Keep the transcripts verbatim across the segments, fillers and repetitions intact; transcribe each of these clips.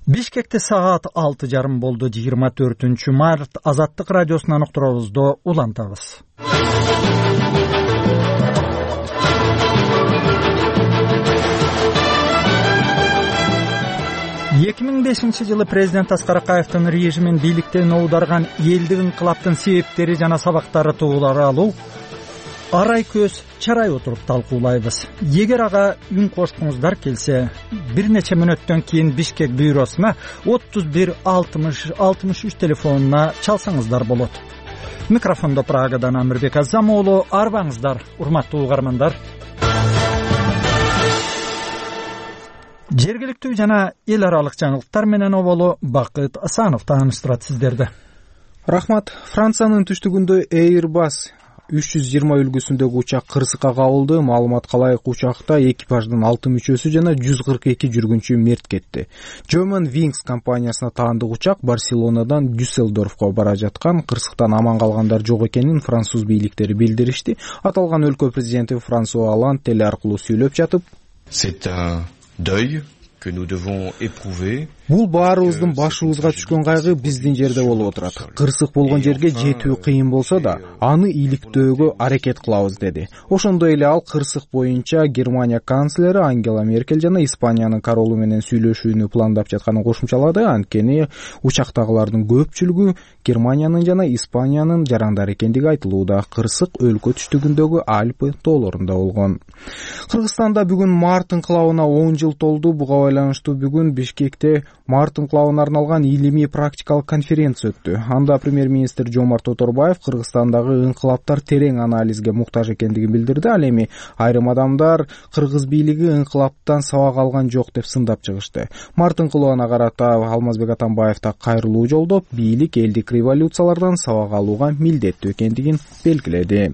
Бишкекте саат алты жарым болду. жыйырма төртүнчү март. Азаттык радиосунан уктурабызды улантабыз. эки миң бешинчи жылы президент Аскар Акаевдин режимин бийликтен оодарган элдик инкылаптын себептери жана сабактары тууралуу арай көз чарай отуруп талкуулайбыз. Эгер ага үн кошкуңуздар келсе, бир нече мүнөттөн кийин Бишкек бюросуна отуз бир алтымыш алтымыш үч телефонуна чалсаңыздар болот. Микрофондо Прагадан Амирбек Азамоğlu. Арбаңыздар, урматтуу угармандар. Жергиликтүү жана эл аралык жаңылыктар менен оболу Бакыт Асанов тааныштырат сиздерди. Рахмат. Франциянын түштүгүндө Airbus үч жүз жыйырма үлгүсүндөгү учак кырсыкка кабылды. Маалыматка ылайык учакта экипаждын алты мүчөсү жана жүз кырк эки жүргүнчү мерт кетти. German Wings компаниясына таандык учак Барселонадан Дюссельдорфко бара жаткан. Кырсыктан аман калгандар жок экенин француз бийликтери билдиришти. Аталган өлкө президенти Франсуа Оланд теле аркылуу сүйлөп жатып, C'est un deuil que nous devons éprouver. Бул баарыбыздын башыбызга түшкөн кайгы биздин жерде болуп отурат. Кырсык болгон жерге жетүү кыйын болсо да, аны иликтөөгө аракет кылабыз деди. Ошондой эле ал кырсык боюнча Германия канцлери Ангела Меркель жана Испаниянын королу менен сүйлөшүүнү пландап жатканын кошумчалады. Анткени учактагылардын көпчүлүгү Германиянын жана Испаниянын жарандары экендиги айтылууда. Кырсык өлкө түштүгүндөгү Альпы тоолорунда болгон. Кыргызстанда бүгүн март инкылабына он жыл толду. Буга байланыштуу бүгүн Бишкекте март инкылабына арналган илимий практикалык конференция өттү. Анда премьер-министр Жомарт Оторбаев Кыргызстандагы инкылаптар терең анализге муктаж экендигин билдирди. Ал эми айрым адамдар кыргыз бийлиги инкылаптан сабак алган жок деп сындап чыгышты. Март инкылабына карата Алмазбек Атамбаев да кайрылуу жолдоп, бийлик элдик революциялардан сабак алууга милдеттүү экендигин белгиледи.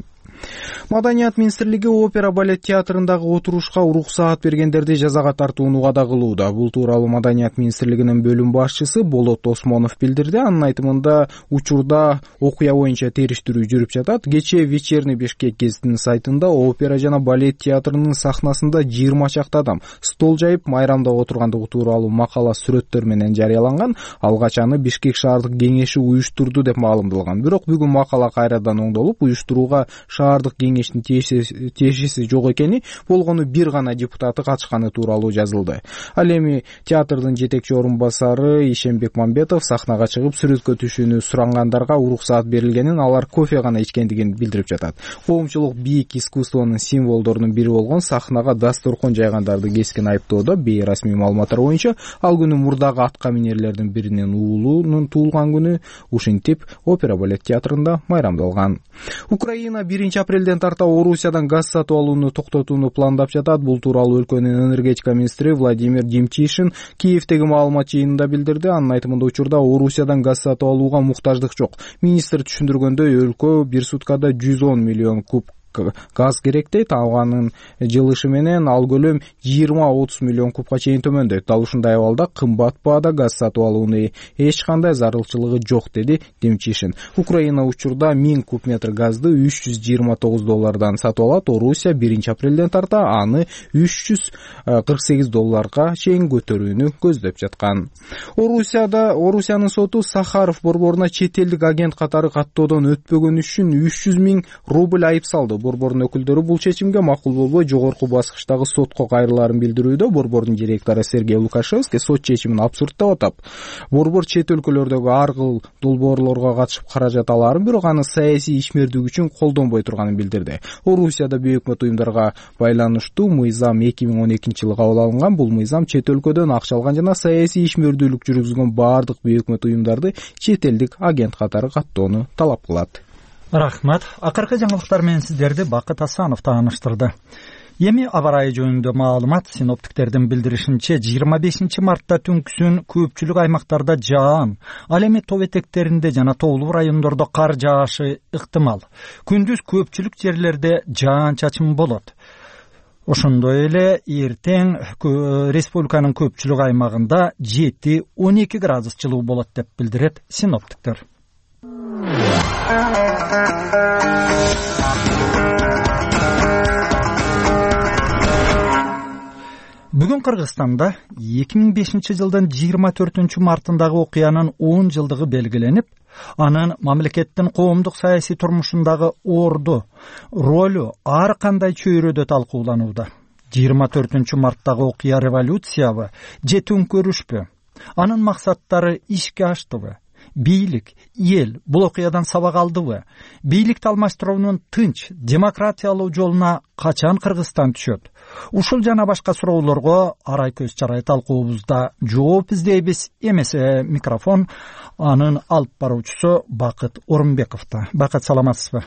Маданият министрлиги опера балет театрындагы отурушка уруксаат бергендерди жазага тартууну вада кылууда. Бул тууралуу Маданият министрлигинин бөлүм башчысы Болот Осмонов билдирди. Анын айтымында учурда окуя боюнча териштирүү жүрүп жатат. Кечээ Вечерний Бишкек гезитинин сайтында опера жана балет театрынын сахнасында жыйырма чакты адам стол жайып майрамда отургандыгы тууралуу макала сүрөттөр менен жарыяланган. Алгач аны Бишкек шаардык кеңеши уюштурду деп маалымдалган. Бирок бүгүн макала кайрадан оңдолуп, уюштурууга шаардык кеңештин тиешеси жок экени, болгону бир гана депутаты катышканы тууралуу жазылды. Ал эми театрдын жетекчи орун басары Ишембек Мамбетов сахнага чыгып сүрөткө түшүүнү сурангандарга уруксаат берилгенин, алар кофе гана ичкендигин билдирип жатат. Коомчулук бийик искусствонун символдорунун бири болгон сахнага дасторкон жайгандарды кескин айыптоодо. Бейрасмий маалыматтар боюнча ал күнү мурдагы атка минерлердин биринин уулунун туулган күнү. Ушинтип опера балет театрында майрамдалган. Украина биринчи апрелден тарта Орусиядан газ сатып алууну токтотууну пландап жатат. Бул тууралуу өлкөнүн энергетика министри Владимир Демчишин Киевдеги маалымат жыйынында билдирди. Анын айтымында учурда Орусиядан газ сатып алууга муктаждык жок. Министр түшүндүргөндөй, өлкө бир суткада жүз он миллион куб газ керек дейт. Алганын жылышы менен ал көлөм жыйырма отуз миллион кубка чейин төмөндөйт. Дал ушундай абалда кымбат баада газ сатып алуунун эч кандай зарылчылыгы жок, деди Демчишин. Украина учурда миң куб метр газды үч жүз жыйырма тогуз доллардан сатып алат. Орусия биринчи апрелден тарта аны үч жүз кырк сегиз долларга чейин көтөрүүнү көздөп жаткан. Орусияда Орусиянын соту Сахаров борборуна чет элдик агент катары каттоодон өтпөгөн үчүн үч жүз миң рубль айып салды. Борбордун өкүлдөрү бул чечимге макул болбой жогорку баскычтагы сотко кайрылаарын билдирүүдө. Борбордун директору Сергей Лукашевский сот чечимин абсурдтап атап, борбор чет өлкөлөрдөгү ар кыл долбоорлорго катышып каражат алаарын, бирок аны саясий ишмердүүлүк үчүн колдонбой турганын билдирди. Орусияда бейөкмөт уюмдарга байланыштуу мыйзам эки миң он экинчи жылы кабыл алынган. Бул мыйзам чет өлкөдөн акча алган жана саясий ишмердүүлүк жүргүзгөн баардык бейөкмөт уюмдарды чет элдик агент катары каттоону талап кылат. Рахмат. Акыркы жаңылыктар менен сиздерди Бакыт Асанов тааныштырды. Эми аба ырайы жөнүндө маалымат. Синоптиктердин билдиришинче, жыйырма бешинчи мартта түнкүсүн көпчүлүк аймактарда жаан, ал эми тоо этектеринде жана тоолуу райондордо кар жаашы ыктымал. Күндүз көпчүлүк жерлерде жаан-чачын болот. Ошондой эле эртең республиканын көпчүлүк аймагында жети он эки градус жылуу болот деп билдирет синоптиктер. Бүгүн Кыргызстанда эки миң бешинчи жылдын жыйырма төртүнчү мартындагы окуянын он жылдыгы белгиленип, анын мамлекеттин коомдук саясий турмушундагы орду, ролу ар кандай чөйрөдө талкууланууда. жыйырма төртүнчү марттагы окуя революциябы же төңкөрүшпү? Анын максаттары ишке аштыбы? Бийлик, эл бул окуядан сабак алдыбы? Бийликти алмаштыруунун тынч, демократиялуу жолуна качан Кыргызстан түшөт? Ушул жана башка суроолорго арай көз чарай талкуубузда жооп издейбиз. Эмесе микрофон анын алып баруучусу Бакыт Орунбековдо. Бакыт, саламатсызбы?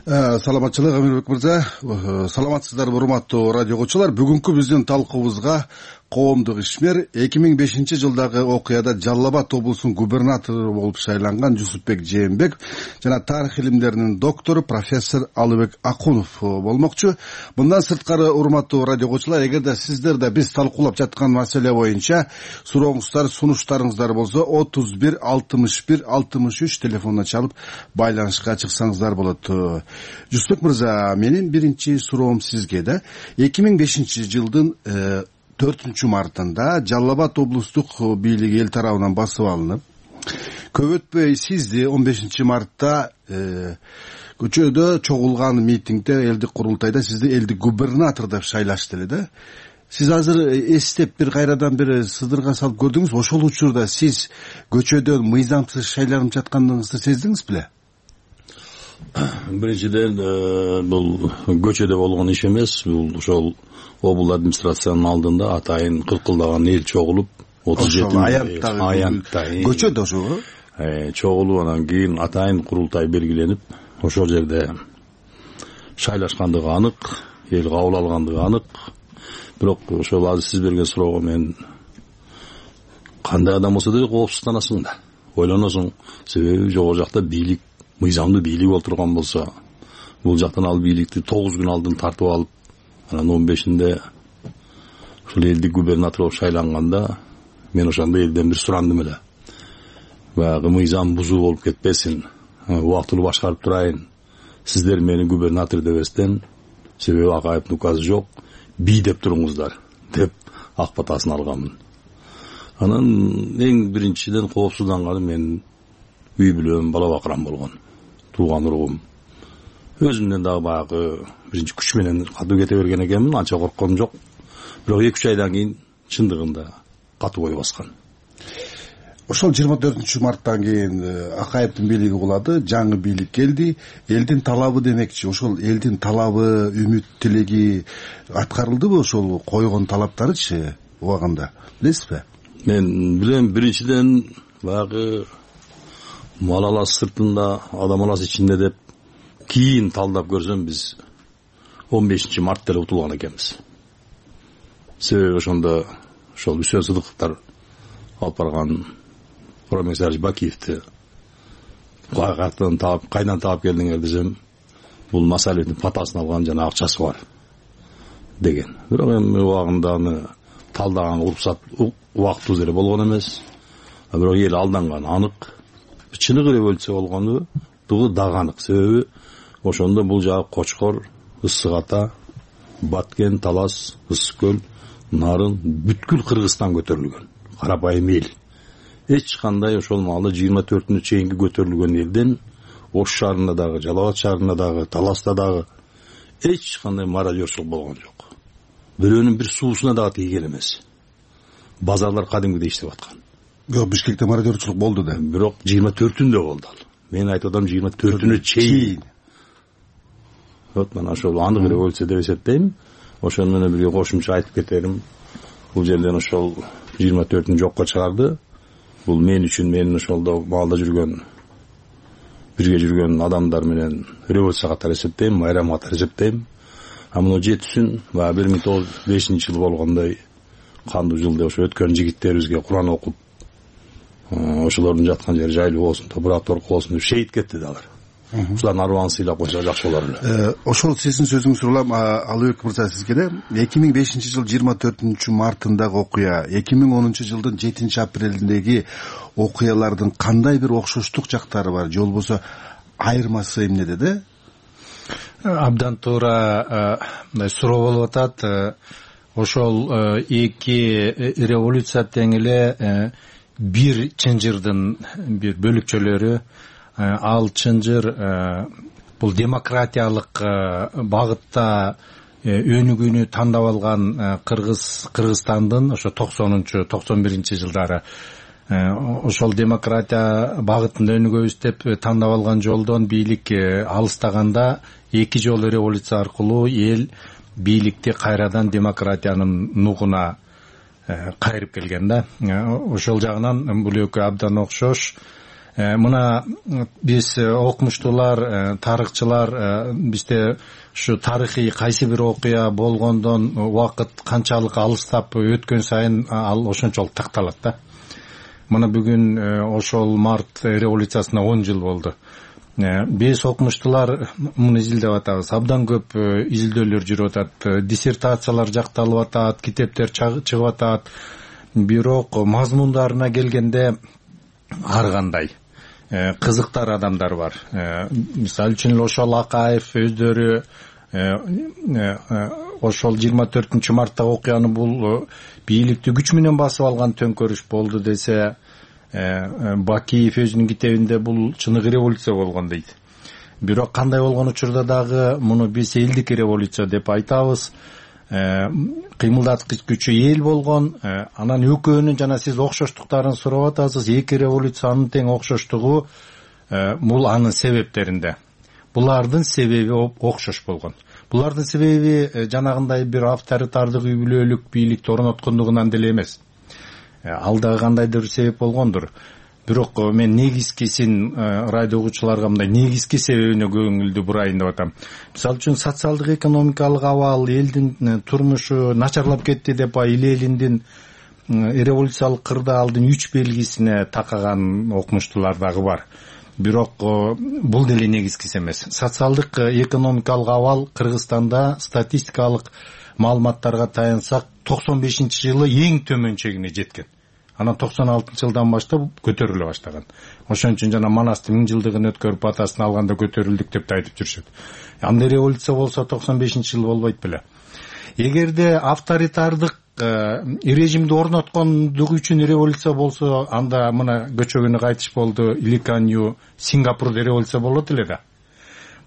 Саламатчылык, Амирбек мырза. Саламатсыздарбы, урматтуу радио угуучулар. Бүгүнкү биздин талкуубузга коомдук ишмер эки миң бешинчи жылдагы окуяда Жалал Абад облусунун губернатору болуп шайланган Жусупбек Жээнбеков жана тарых илимдеринин доктору профессор Алыбек Акунов болмокчу. Мындан сырткары, урматтуу радио угуучулар, эгерде сиздер да биз талкуулап жаткан маселе боюнча сурооңуздар, сунуштарыңыздар болсо отуз бир алтымыш бир алтымыш үч телефонуна чалып байланышка чыксаңыздар болот. Жусупбек мырза, менин биринчи суроом сизге да. эки миң бешинчи жылдын төртүнчү мартында Жалал Абад облустук бийлиги эл тарабынан басып алынып, көп өтпөй сизди он бешинчи мартта көчөдө чогулган митингде, элдик курултайда сизди элдик губернатор деп шайлашты эле да. Сиз азыр эстеп бир кайрадан бир сыдырга салып көрдүңүз. Ошол учурда сиз көчөдөн мыйзамсыз шайланып жатканыңызды сездиңиз беле? Биринчиден, бул көчөдө болгон иш эмес. Бул ошол облус администрациянын алдында атайын кыркылдаган эл чогулуп, отуз жети аянтта көчөдө ошо чогулуп, анан кийин атайын курултай белгиленип, ошол жерде шайлашкандыгы анык, эл кабыл алгандыгы анык. Бирок ошол азыр сиз берген суроого мен кандай адам болсо деле коопсузданасың да, ойлоносуң. Себеби жогору жакта бийлик, мыйзамдуу бийлик отурган болсо, бул жактан ал бийликти тогуз күн алдын тартып алып, анан он бешинде ушул элдик губернатор болуп шайланганда, мен ошондо элден бир сурандым эле. Баягы мыйзам бузуу болуп кетпесин, убактылуу башкарып турайын, сиздер мени губернатор дебестен, себеби Акаевдин указы жок, бий деп туруңуздар деп ак батасын алганмын. Анан эң биринчиден коопсузданганым мен үй бүлөм, бала бакырам болгон, тууган уругум. Өзүмдөн дагы баягы биринчи күч менен катуу кете берген экенмин, анча коркконум жок. Бирок эки үч айдан кийин чындыгында катуу ой баскан. Ошол жыйырма төртүнчү марттан кийин Акаевдин бийлиги кулады, жаңы бийлик келди. Элдин талабы демекчи, ошол элдин талабы, үмүт, тилеги аткарылдыбы? Ошол койгон талаптарычы убагында билесизби? Мен билем, биринчиден баягы мал алас сыртында, адам алас ичинде деп кийин талдап көрсөм, биз он бешинчи март деле утулган экенбиз. Себеби ошондо ошол Үсөн Сыдыковдор алып барган Промесарич Бакиевди кайдан таап, кайдан таап келдиңер десем, бул Масалевдин патасын алган жана акчасы бар деген. Бирок эми убагында аны талдаган уруксат убактыбыз эле болгон эмес. Бирок эл алданган анык. Чыныгы революция болгону дагы анык. Себеби ошондо бул жагы Кочкор, Ысык Ата, Баткен, Талас, Ысык Көл, Нарын, бүткүл Кыргызстан көтөрүлгөн. Карапайым эл. Эч кандай ошол маалда жыйырма төртүнө чейинки көтөрүлгөн элден Ош шаарында дагы, Жалал Абад шаарында дагы, Таласта дагы эч кандай мародерчулук болгон жок. Бирөөнүн бир суусуна дагы тийген эмес. Базарлар кадимгидей иштеп аткан. Жок, Бишкекте мародерчулук болду да. Бирок жыйырма төртүндө болду ал. Мен айтып атам жыйырма төртүнө чейин. Вот мына ошол анык революция деп эсептейм. Ошону менен бирге кошумча айтып кетерим. Бул жерден ошол жыйырма төртүн жокко чыгарды. Бул мен үчүн, менин ошолдо маалда жүргөн, бирге жүргөн адамдар менен революция катары эсептейм, майрам катары эсептейм. А мына жетисин баягы бир миң тогуз жүз бешинчи жыл болгондой кандуу жыл деп ошо өткөн жигиттерибизге Куран окуп, ошолордун жаткан жери жайлуу болсун, топурак торку болсун деп шейит кетти да алар. Ушулардын арбааны сыйлап койсо жакшы болор эле. Ошол сиздин сөзүңүздү улам, Алыбек мырза, сизге да эки миң бешинчи жыл жыйырма төртүнчү мартындагы окуя, эки миң онунчу жылдын жетинчи апрелиндеги окуялардын кандай бир окшоштук жактары бар, же болбосо айырмасы эмнеде да? Абдан туура мындай суроо болуп атат. Ошол эки революция тең эле бир чынжырдын бир бөлүкчөлөрү. Ал чынжыр бул демократиялык багытта өнүгүүнү тандап алган Кыргыз Кыргызстандын ошо токсонунчу токсон биринчи жылдары ошол демократия багытында өнүгөбүз деп тандап алган жолдон бийлик алыстаганда эки жолу революция аркылуу эл бийликти кайрадан демократиянын нугуна кайрып келген да. Ошол жагынан бул экөө абдан окшош. Мына биз окумуштуулар, тарыхчылар бизде ушу тарыхый кайсы бир окуя болгондон убакыт канчалык алыстап өткөн сайын ал ошончолук такталат да. Мына бүгүн ошол март революциясына он жыл болду. Биз окумуштуулар муну изилдеп атабыз. Абдан көп изилдөөлөр жүрүп атат, диссертациялар жакталып атат, китептер чыгып атат. Бирок мазмундарына келгенде ар кандай кызыктар адамдар бар. Мисалы үчүн ошол Акаев өздөрү ошол жыйырма төртүнчү марттагы окуяны бул бийликти күч менен басып алган төңкөрүш болду десе, Бакиев өзүнүн китебинде бул чыныгы революция болгон дейт. Бирок кандай болгон учурда дагы муну биз элдик революция деп айтабыз. Кыймылдаткыч күчү эл болгон. Анан экөөнүн жана сиз окшоштуктарын сурап атасыз. Эки революциянын тең окшоштугу бул анын себептеринде. Булардын себеби окшош болгон. Булардын себеби жанагындай бир авторитардык үй бүлөлүк бийликти орноткондугунан деле эмес. Ал дагы кандайдыр себеп болгондур. Бирок мен негизгисин радио угуучуларга мындай негизги себебине көңүлдү бурайын деп атам. Мисалы үчүн социалдык экономикалык абал, элдин турмушу начарлап кетти деп эл элиндин революциялык кырдаалдын үч белгисине такаган окумуштуулар дагы бар. Бирок бул деле негизгиси эмес. Социалдык экономикалык абал Кыргызстанда статистикалык маалыматтарга таянсак токсон бешинчи жылы эң төмөн чегине жеткен. Анан токсон алтынчы жылдан баштап көтөрүлө баштаган. Ошон үчүн жана Манастын миң жылдыгын өткөрүп атасын алганда көтөрүлдүк деп айтып жүрүшөт. Анда революция болсо токсон бешинчи жыл болбойт беле. Эгерде авторитардык режимди орноткондугу үчүн революция болсо, анда мына көчөгөнү кайтыш болду. Иликанью Сингапурда революция болот эле да.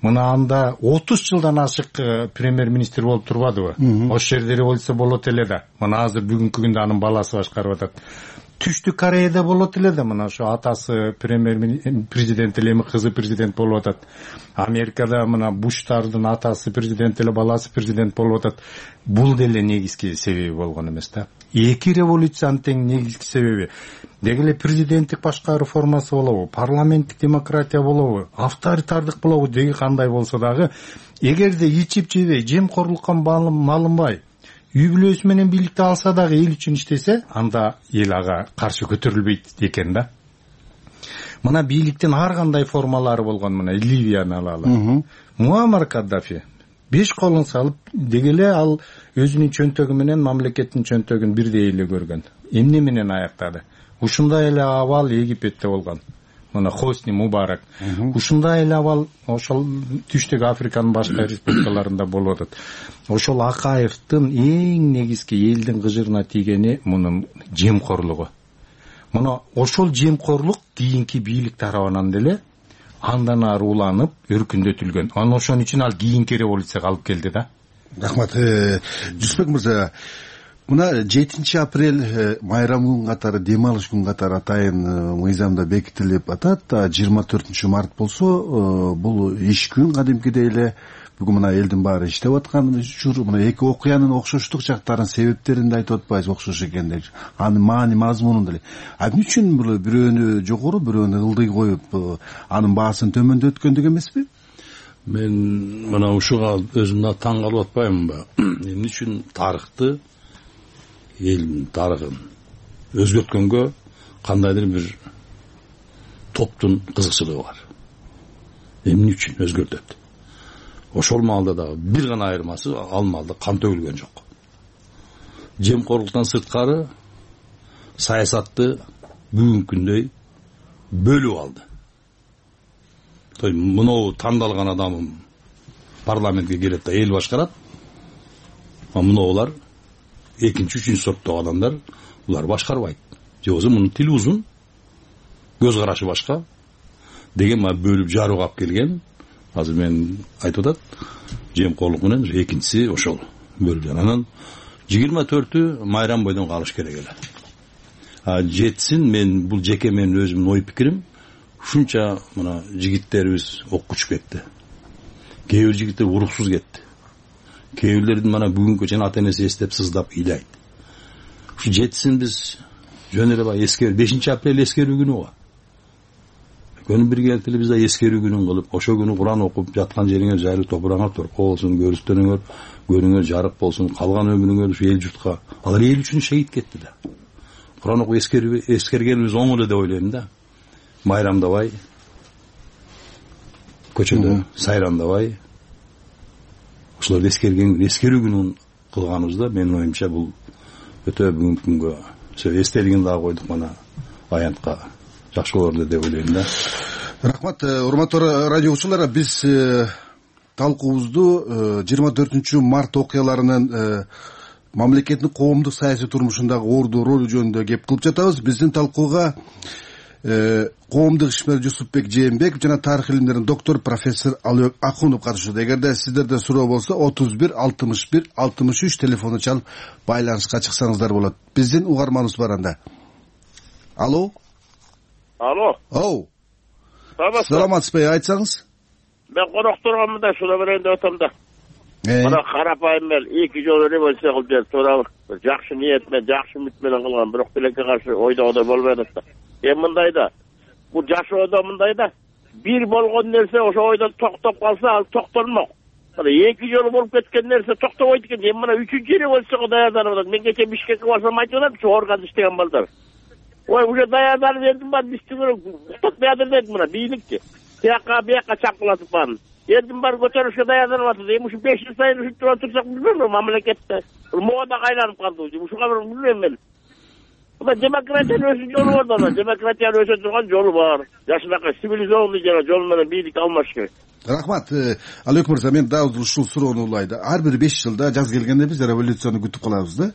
Мына анда отуз жылдан ашык премьер-министр болуп турбадыбы? Ошол жерде революция болот эле да. Мына азыр бүгүнкү күндө анын баласы башкарып атат. Түштүк Кореяда болот эле да. Мына ошо атасы премьер-президент эле, эми кызы президент болуп атат. Америкада мына Буштардын атасы президент эле, баласы президент болуп атат. Бул деле негизги себеби болгон эмес да. Эки революциянын тең негизги себеби деги эле президенттик башкаруу формасы болобу, парламенттик демократия болобу, авторитардык болобу, деги кандай болсо дагы, эгерде ичип жебей, жемкорлукка малынбай, үй бүлөсү менен бийликти алса дагы эл үчүн иштесе, анда эл ага каршы көтөрүлбөйт экен да. Мына бийликтин ар кандай формалары болгон. Мына Ливияны алалы. Муаммар Каддафи беш колун салып, деги эле ал өзүнүн чөнтөгү менен мамлекеттин чөнтөгүн бирдей эле көргөн. Эмне менен аяктады? Ушундай эле абал Египетте болгон. Мына Хосни Мубарак. Ушундай эле абал ошол түштүк Африканын башка республикаларында болуп атат. Ошол Акаевдин эң негизги элдин кыжырына тийгени мунун жемкорлугу. Мына ошол жемкорлук кийинки бийлик тарабынан деле андан ары уланып, өркүндөтүлгөн. Анан ошон үчүн ал кийинки революцияга алып келди да. Рахмат. Жусупбек мырза, мына жетинчи апрель майрам күн катары, дем алыш күн катары атайын мыйзамда бекитилип атат. жыйырма төртүнчү март болсо бул иш күн кадимкидей эле. Бүгүн мына элдин баары иштеп аткан учур. Мына эки окуянын окшоштук жактарын, себептерин да айтып атпайбыз, окшош экендей. Анын маани мазмунун деле. А эмне үчүн бул бирөөнү жогору, бирөөнү ылдый коюп, анын баасын төмөндөткөндүк эмеспи? Мен мына ушуга өзүм да таң калып атпаймынбы? Эмне үчүн тарыхты, элдин тарыхын өзгөрткөнгө кандайдыр бир топтун кызыкчылыгы бар. Эмне үчүн өзгөртөт? Ошол маалда дагы бир гана айырмасы, ал маалда кан төгүлгөн жок. Жемкорлуктан сырткары саясатты бүгүнкү күндөй бөлүп алды. Той мынау тандалган адамым парламентке келет да эл башкарат. А мыноолар экинчи үчүнчү сорттогу адамдар, булар башкарбайт. Же болбосо мунун тили узун, көз карашы башка деген мага бөлүп жарууга алып келген. Азыр мен айтып атат, жемкорлук менен экинчиси ошол бөлүп. Анан жыйырма төртү майрам бойдон калыш керек эле. А жетсин мен бул жеке менин өзүмдүн ой пикирим, ушунча мына жигиттерибиз оккучу кетти. Кээ бир жигиттер уруксуз кетти. Кээ бирлердин мана бүгүнкү жана ата энеси эстеп сыздап ыйлайт. Ушу жетсин биз жөн эле баягы эскер бешинчи апрель эскерүү күнү го. Күнү биргеликте эле биз да эскерүү күнүн кылып, ошо күнү Куран окуп жаткан жериңер жайлуу топураңар торко болсун, көрүстөрүңөр, көрүңөр жарык болсун, калган өмүрүңөр ушу эл журтка. Алар эл үчүн шейит кетти да. Куран окуп эскерүү эскергенибиз оң эле деп ойлойм да. Майрамдабай, көчөдө сайрандабай, ошолорду эскерген эскерүү күнүн кылганыбызда менин оюмча бул өтө бүгүнкү күнгө эстелигин дагы койдук, мана аянтка жакшы болор деп ойлойм да. Рахмат, урматтуу радио угуучулар, биз талкуубузду жыйырма төртүнчү март окуяларынын мамлекеттин коомдук саясий турмушундагы орду ролу жөнүндө кеп кылып жатабыз. Биздин талкууга коомдук ишмер Жусупбек Жээнбеков жана тарых илимдеринин доктору профессор Алыбек Акунов катышууда. Эгерде сиздерде суроо болсо отуз бир алтымыш бир алтымыш үч телефону чалып байланышка чыксаңыздар болот. Биздин угарманыбыз бар анда. Алло. Алло. Оу. Саламатсызбы? Саламатсызбы, айтсаңыз. Мен конок турганмын да, шуна берейин деп атам да. Мына карапайым эл эки жолу революция кылып берип туурабы. Жакшы ниет менен, жакшы үмүт менен кылган, бирок тилекке каршы ойдогодай болбой атат да. Эми мындай да, бул жашоодо мындай да, бир болгон нерсе ошо ойдон токтоп калса, ал токтолмок. Мына эки жолу болуп кеткен нерсе токтобойт экен. Эми мына үчүнчү революцияга даярданып атат. Мен кече Бишкекке барсам айтып атат, ушу органда иштеген балдар. Ой, уже даярданып элдин баары биздин уктап баядыр дейт мына бийликти. Тияка бияка чапкылатып баарын. Элдин баары көтөрүшкө даярданып атат. Эми ушу беш жыл сайын ушинтип отурсак билбейм, мамлекетте мода кайланып калды. Ушуга бир билбейм мен. Мына демократиянын өзү жолу бар да, демократиянын өсө турган жолу бар. Жашынакай цивилизованный жана жол менен бийлик алмаш керек. Рахмат, Алыбек мырза, мен дагы ушул суроону улайда. Ар бир беш жылда жаз келгенде биз революцияны күтүп калабыз да.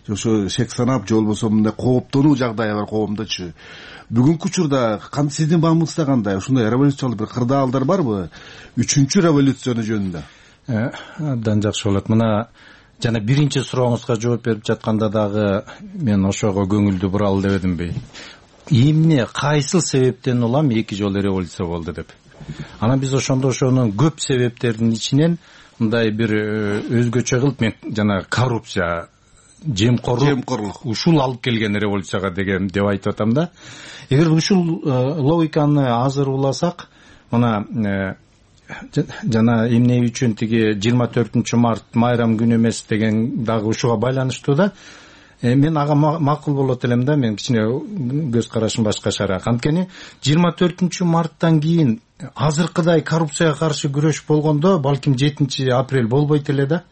Ошо шек санап, же болбосо мындай кооптонуу жагдайы бар коомдочу. Бүгүнкү учурда сиздин баамыңызда кандай? Ушундай революциялык бир кырдаалдар барбы? Үчүнчү революцияны жөнүндө. Абдан жакшы болот. Мына жана биринчи сурооңузга жооп берип жатканда дагы мен ошого көңүлдү буралы деп эдимби? Эмне, кайсыл себептен улам эки жолу революция болду деп. Анан биз ошондо ошонун көп себептердин ичинен мындай бир өзгөчө кылып мен жана коррупция, жемкорлук ушул алып келген революцияга деген деп айтып атам да. Эгер ушул логиканы азыр уласак, мына жана эмне үчүн тиги жыйырма төртүнчү март майрам күнү эмес деген дагы ушуга байланыштуу да. Мен ага макул болот элем да, мен кичине көз карашым башкачараак. Анткени жыйырма төртүнчү марттан кийин азыркыдай коррупцияга каршы күрөш болгондо балким жетинчи апрель болбойт эле да.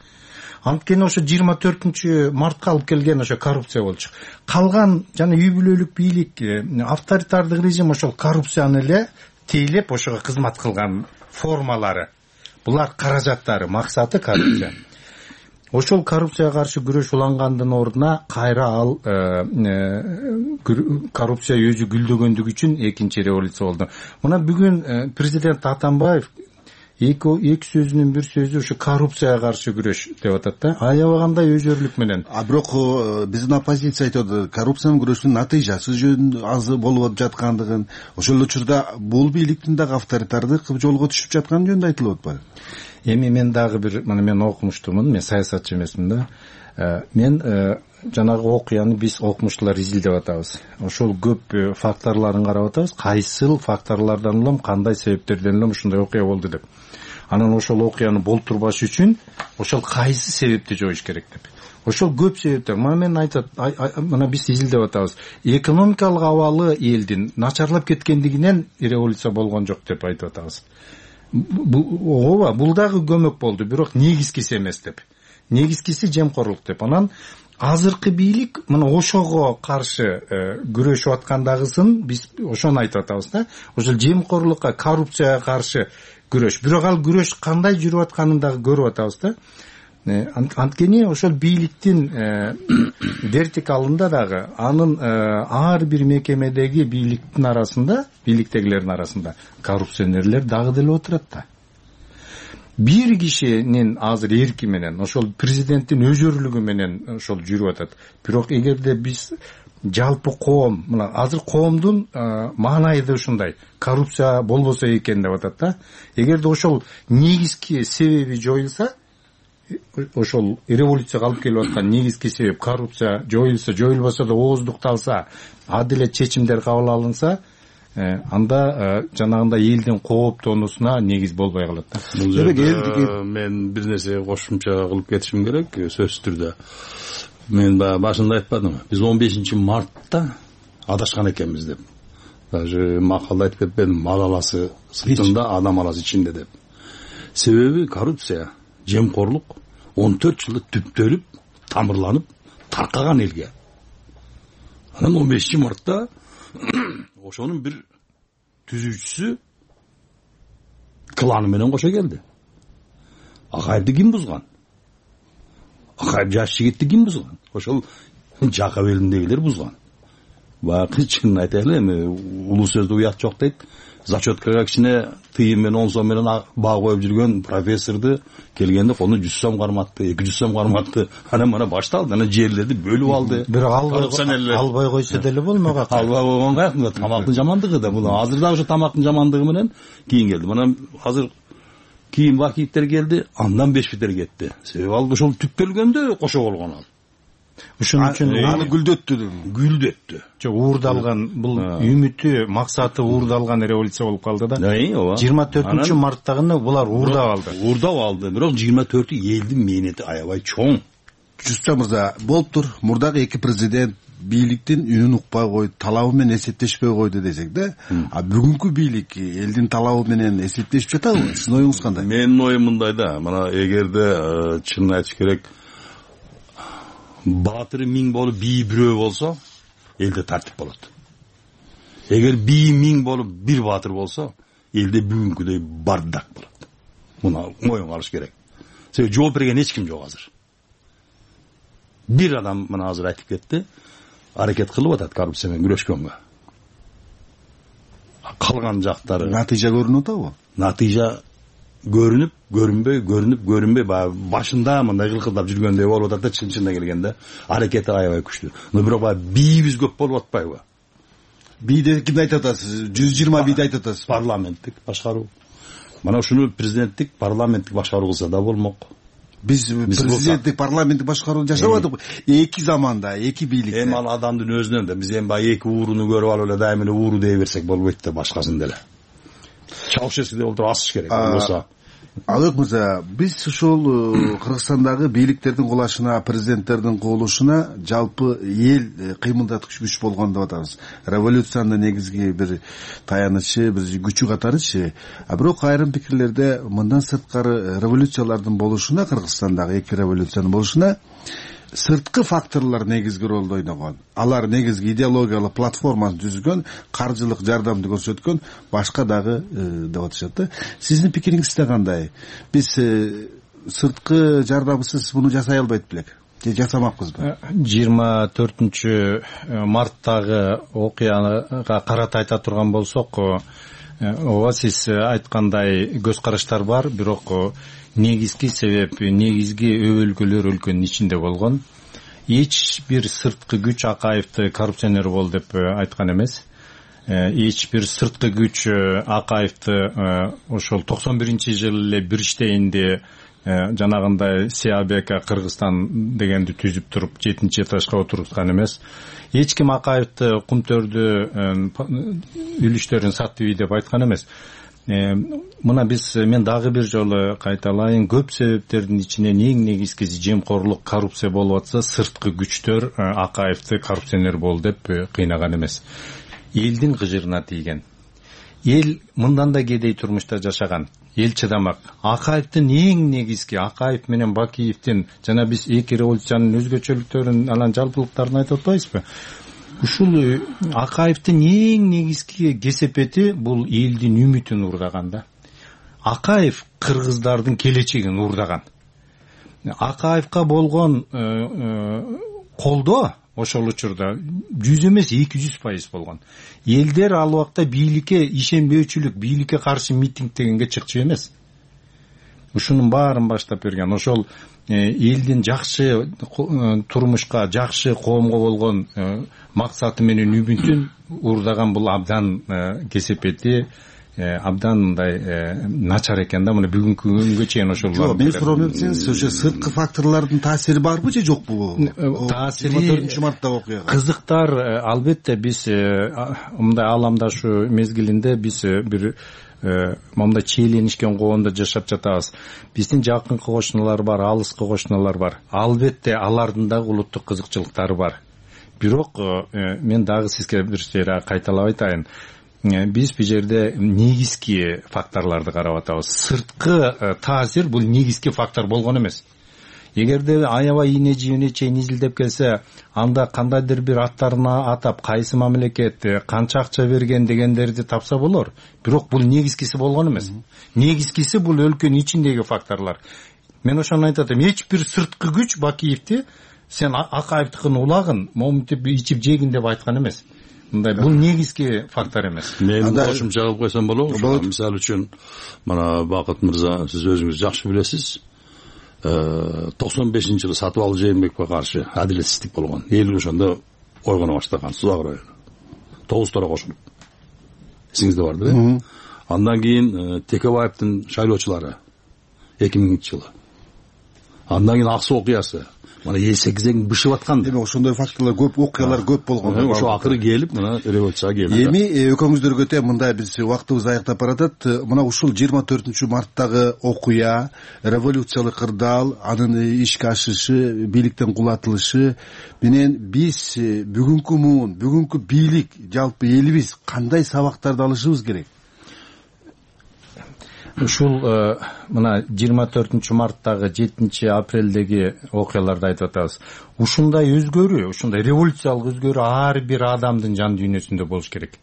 Анткени ошо жыйырма төртүнчү мартка алып келген ошо коррупция болчу. Калган жана үй бүлөлүк бийлик, авторитардык режим ошол коррупцияны эле тейлеп ошого кызмат кылган формалары. Булар каражаттары, максаты коррупция. Ошол коррупцияга каршы күрөш улангандын ордуна кайра ал коррупция өзү гүлдөгөндүгү үчүн экинчи революция болду. Мына бүгүн президент Атамбаев эки эки сөзүнүн бир сөзү ушу коррупцияга каршы күрөш деп атат да. Аябагандай өзөрлүк менен. А бирок биздин оппозиция айтат, коррупцияны күрөштүн натыйжасы жөн аз болуп жаткандыгын, ошол учурда бул бийликтин дагы авторитардык жолго түшүп жатканы жөнүндө айтылып атпайбы? Эми мен дагы бир, мына мен окумуштумун, мен саясатчы эмесмин да. Мен жанагы окуяны биз окумуштуулар изилдеп атабыз. Ошол көп факторлорун карап атабыз. Кайсыл факторлордон улам, кандай себептерден улам ушундай окуя болду деп. Анан ошол окуяны болтурбаш үчүн ошол кайсы себепти жоюш керек деп. Ошол көп себептер. Мына мен айтат, мына биз изилдеп атабыз. Экономикалык абалы элдин начарлап кеткендигинен революция болгон жок деп айтып атабыз. Ооба, бул дагы көмөк болду, бирок негизгиси эмес деп. Негизгиси жемкорлук деп. Анан азыркы бийлик мына ошого каршы күрөшүп аткандагысын биз ошону айтып атабыз да. Ошол жемкорлукка, коррупцияга каршы күрөш. Бирок ал күрөш кандай жүрүп атканын дагы көрүп атабыз да. Анткени ошол бийликтин вертикалында дагы анын ар бир мекемедеги бийликтин арасында, бийликтегилердин арасында коррупционерлер дагы деле отурат да. Бир кишинин азыр эрки менен, ошол президенттин өзөрлүгү менен ошол жүрүп атат. Бирок эгерде биз жалпы коом, мына азыр коомдун маанайы да ушундай, коррупция болбосо экен деп атат да. Эгерде ошол негизги себеби жоюлса, ошол революцияга алып келип аткан негизги себеп коррупция жоюлса, жоюлбосо да ооздукталса, адилет чечимдер кабыл алынса, анда жанагындай элдин кооптонуусуна негиз болбой калат да. Бул жерде мен бир нерсе кошумча кылып кетишим керек, сөзсүз түрдө. Мен башында айтпадымбы, биз он бешинчи мартта адашкан экенбиз деп. Даже макалда айтып кетпедим, мал аласы сыртында, адам аласы ичинде деп. Себеби коррупция, жемкорлук он төрт жылда түптөлүп, тамырланып, таркаган элге. Анан он бешинчи мартта ошонун бир түзүүчүсү кланы менен кошо келди. Акаевди ким бузган? Акаев жаш жигитти ким бузган? Ошол Жакап элиндегилер бузган. Баягы чынын айтайлы, эми улуу сөздө уят жок дейт. Зачеткага кичине тыйын менен он сом менен баа коюп жүргөн профессорду келгенде колуна жүз сом карматты, эки жүз сом карматты. Анан мына башталды, анан жерлерди бөлүп алды. Бирок албай койсо деле болмок. Албай койгонго тамактын жамандыгы да бул. Азыр да ошо тамактын жамандыгы менен кийин келди. Мына азыр кийин Бакиевдер келди, андан беш битер кетти. Себеби ал ошол түптөлгөндө кошо болгон ал. Ошон үчүн аны гүлдөттү, гүлдөттү. Жок, уурдалган, бул үмүтү, максаты уурдалган революция болуп калды да. жыйырма төртүнчү марттагыны булар уурдап алды. Уурдап алды, бирок жыйырма төртү элдин мээнети аябай чоң. Жуста мырза, болуптур. Мурдагы эки президент бийликтин үнүн укпай койду, талабы менен эсептешпей койду десек да. А бүгүнкү бийлик элдин талабы менен эсептешип жатабы? Сиздин оюңуз кандай? Менин оюм мындай да. Мына эгерде чынын айтыш керек, баатыры миң болуп бийи бирөө болсо, элде тартип болот. Эгер бийи миң болуп бир баатыр болсо, элде бүгүнкүдөй бардак болот. Муну моюнга алыш керек. Себеби жооп берген эч ким жок азыр. Бир адам мына азыр айтып кетти, аракет кылып атат коррупция менен күрөшкөнгө. Калган жактары натыйжа көрүнүп атабы? Натыйжа көрүнүп, көрүнбөй, көрүнүп, көрүнбөй, башында мындай кылкылдап жүргөндөй болуп атат да, чын-чынына келгенде аракети аябай күчтүү. Но бирок баягы бийибиз көп болуп атпайбы? Бийди кимди айтып атасыз? жүз жыйырма бийди айтып атасыз. Парламенттик башкаруу. Мына ушуну президенттик, парламенттик башкаруу кылса да болмок. Биз президенттик, парламенттик башкаруу жашабадык. Эки заманда, эки бийликте. Эми ал адамдын өзүнөн да биз эми баягы эки ууруну көрүп алып эле дайым эле ууру дей берсек болбойт да, башкасын деле. Чаушевскийде олтуруп асыш керек болсо. Алык мырза, биз ушул Кыргызстандагы бийликтердин кулашына, президенттердин куулушуна жалпы эл кыймылдаткыч күч болгон деп атабыз. Революциянын негизги бир таянычы, бир күчү катарычы. А бирок айрым пикирлерде мындан сырткары революциялардын болушуна, Кыргызстандагы эки революциянын болушуна сырткы факторлор негизги ролду ойногон. Алар негизги идеологиялык платформаны түзгөн, каржылык жардамды көрсөткөн, башка дагы деп атышат да. Сиздин пикириңизде кандай? Биз сырткы жардамсыз муну жасай албайт белек. Же жасамакпызбы? жыйырма төртүнчү марттагы окуяга карата айта турган болсок, ооба сиз айткандай көз караштар бар, бирок негизги себеп, негизги өбөлгөлөр өлкөнүн ичинде болгон. Эч бир сырткы күч Акаевди коррупционер бол деп айткан эмес. Эч бир сырткы күч Акаевди ошол токсон биринчи жылы эле бир иштейинде жанагындай Сиабека Кыргызстан дегенди түзүп туруп жетинчи этажга отуруткан эмес. Эч ким Акаевди кумтөрдү үлүштөрүн сатты деп айткан эмес. Мына биз, мен дагы бир жолу кайталайын, көп себептердин ичинен эң негизгиси жемкорлук, коррупция болуп атса, сырткы күчтөр Акаевди коррупционер бол деп кыйнаган эмес. Элдин кыжырына тийген. Эл мындан да кедей турмушта жашаган. Эл чыдамак. Акаевдин эң негизги, Акаев менен Бакиевдин, жана биз эки революциянын өзгөчөлүктөрүн, анан жалпылыктарын айтып атпайбызбы? Ушул Акаевдин эң негизги кесепети бул элдин үмүтүн уурдаган да. Акаев кыргыздардын келечегин уурдаган. Акаевка болгон колдоо ошол учурда жүз эмес эки жүз пайыз болгон. Элдер ал убакта бийликке ишенбөөчүлүк, бийликке каршы митинг дегенге чыкчу эмес. Ушунун баарын баштап берген. Ошол элдин жакшы турмушка, жакшы коомго болгон максаты менен үмүтүн уурдаган бул абдан кесепети, абдан мындай начар экен да. Мына бүгүнкү күнгө чейин ошол. Жок, мен сурап эмсеңиз, ошо сырткы факторлордун таасири барбы же жокпу? Таасири жыйырма төртүнчү марттагы окуяга. Кызыктар, албетте биз мындай ааламдашу мезгилинде биз бир мындай чиеленишкен коомдо жашап жатабыз. Биздин жакынкы кошуналар бар, алыскы кошуналар бар. Албетте алардын дагы улуттук кызыкчылыктары бар. Бирок мен дагы сизге бир жер кайталап айтайын. Биз бул жерде негизги факторлорду карап атабыз. Сырткы таасир бул негизги фактор болгон эмес. Эгерде аябай ийне жибине чейин изилдеп келсе, анда кандайдыр бир аттарына атап, кайсы мамлекет канча акча берген дегендерди тапса болор. Бирок бул негизгиси болгон эмес. Негизгиси бул өлкөнүн ичиндеги факторлор. Мен ошону айтат элем, эч бир сырткы күч Бакиевди сен Акаевдикин улагын моминтип ичип жегин деп айткан эмес. Мындай бул негизги фактор эмес. Мен кошумча кылып койсом болобу? Мисалы үчүн, мына Бакыт мырза, сиз өзүңүз жакшы билесиз. токсон бешинчи жылы Сатыбалды Жээнбековго каршы адилетсиздик болгон. Эл ошондо ойгоно баштаган, Сузак району. Тогуз тора кошулуп. Эсиңизде бардыр, э? Андан кийин Текебаевдин шайлоочулары эки миңинчи жылы. Андан кийин Ак Суу окуясы. Мына эл сегизең бышып аткан. Демек ошондой факторлор көп, окуялар көп болгон. Ошо акыры келип, мына революцияга келди. Эми экөөңүздөргө тең мындай биз убактыбыз аягдап баратат. Мына ушул жыйырма төртүнчү марттагы окуя, революциялык кырдаал, анын ишке ашышы, бийликтен кулатылышы менен биз бүгүнкү муун, бүгүнкү бийлик, жалпы элибиз кандай сабактарды алышыбыз керек? Ушул мына жыйырма төртүнчү марттагы жетинчи апрелдеги окуяларды айтып атабыз. Ушундай өзгөрүү, ушундай революциялык өзгөрүү ар бир адамдын жан дүйнөсүндө болуш керек.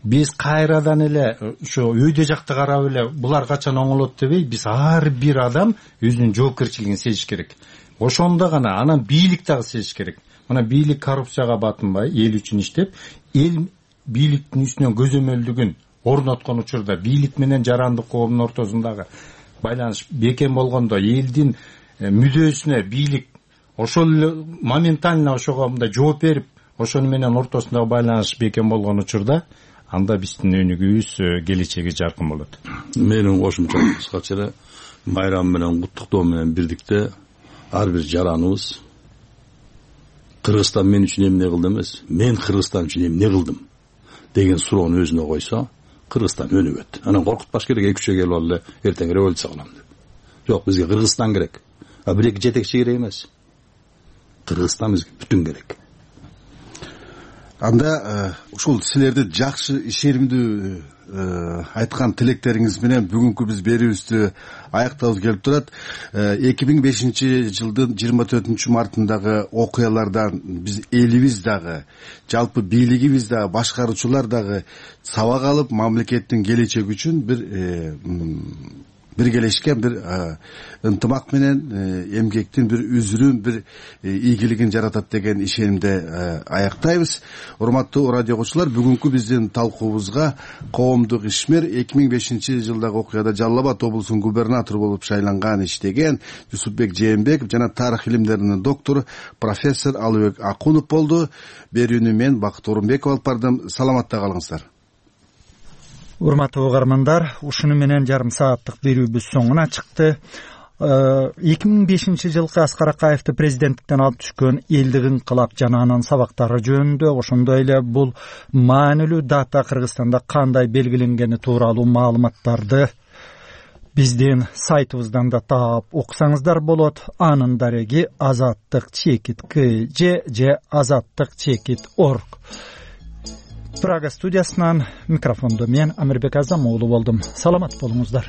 Биз кайрадан эле ушу өйдө жакты карап эле булар качан оңолот дебей, биз ар бир адам өзүнүн жоопкерчилигин сезиш керек. Ошондо гана анан бийлик дагы сезиш керек. Мына бийлик коррупцияга батынбай, эл үчүн иштеп, эл бийликтин үстүнөн көзөмөлдүгүн орноткон учурда бийлик менен жарандык коомдун ортосундагы байланыш бекем болгондо, элдин мүдөөсүнө бийлик ошол моментально ошого мындай жооп берип, ошону менен ортосундагы байланыш бекем болгон учурда, анда биздин өнүгүүбүз, келечеги жаркын болот. Менин кошумча кыскача эле майрам менен куттуктоо менен бирдикте ар бир жараныбыз Кыргызстан мен үчүн эмне кылды эмес, мен Кыргызстан үчүн эмне кылдым деген суроону өзүнө койсо, Кыргызстан өнүгөт. Анан коркутпаш керек, эки үчө келип алып эртең революция кылам деп. Жок, бизге Кыргызстан керек. А бир эки жетекчи керек эмес. Кыргызстан бизге бүтүн керек. Анда ушул силерди жакшы ишенимдүү айткан тилектериңиз менен бүгүнкү биз берүүбүздү аяктабыз келип турат. эки миң бешинчи жылдын жыйырма төртүнчү мартындагы окуялардан биз элибиз дагы, жалпы бийлигибиз дагы, башкаруучулар дагы сабак алып, мамлекеттин келечеги үчүн бир биргелешкен бир ынтымак менен эмгектин бир үзүрүн, бир ийгилигин жаратат деген ишенимде аяктайбыз. Урматтуу радио окуучулар, бүгүнкү биздин талкуубузга коомдук ишмер, эки миң бешинчи жылдагы окуяда Жалал Абад облусунун губернатору болуп шайланган, иштеген Жусупбек Жээнбеков жана тарых илимдеринин доктору профессор Алыбек Акунов болду. Берүүнү мен Бакыт Орунбеков алып бардым. Саламатта калыңыздар. Урматтуу угармандар, ушуну менен жарым сааттык берүүбүз соңуна чыкты. эки миң бешинчи жылкы Аскар Акаевди президенттиктен алып түшкөн элдик инкылап жана анын сабактары жөнүндө, ошондой эле бул маанилүү дата Кыргызстанда кандай белгиленгени тууралуу маалыматтарды биздин сайтыбыздан да таап окусаңыздар болот. Анын дареги азаттык чекит кж же азаттык чекит орг. Прага студиясынан микрофондо мен Амирбек Азам уулу болдум. Саламат болуңуздар.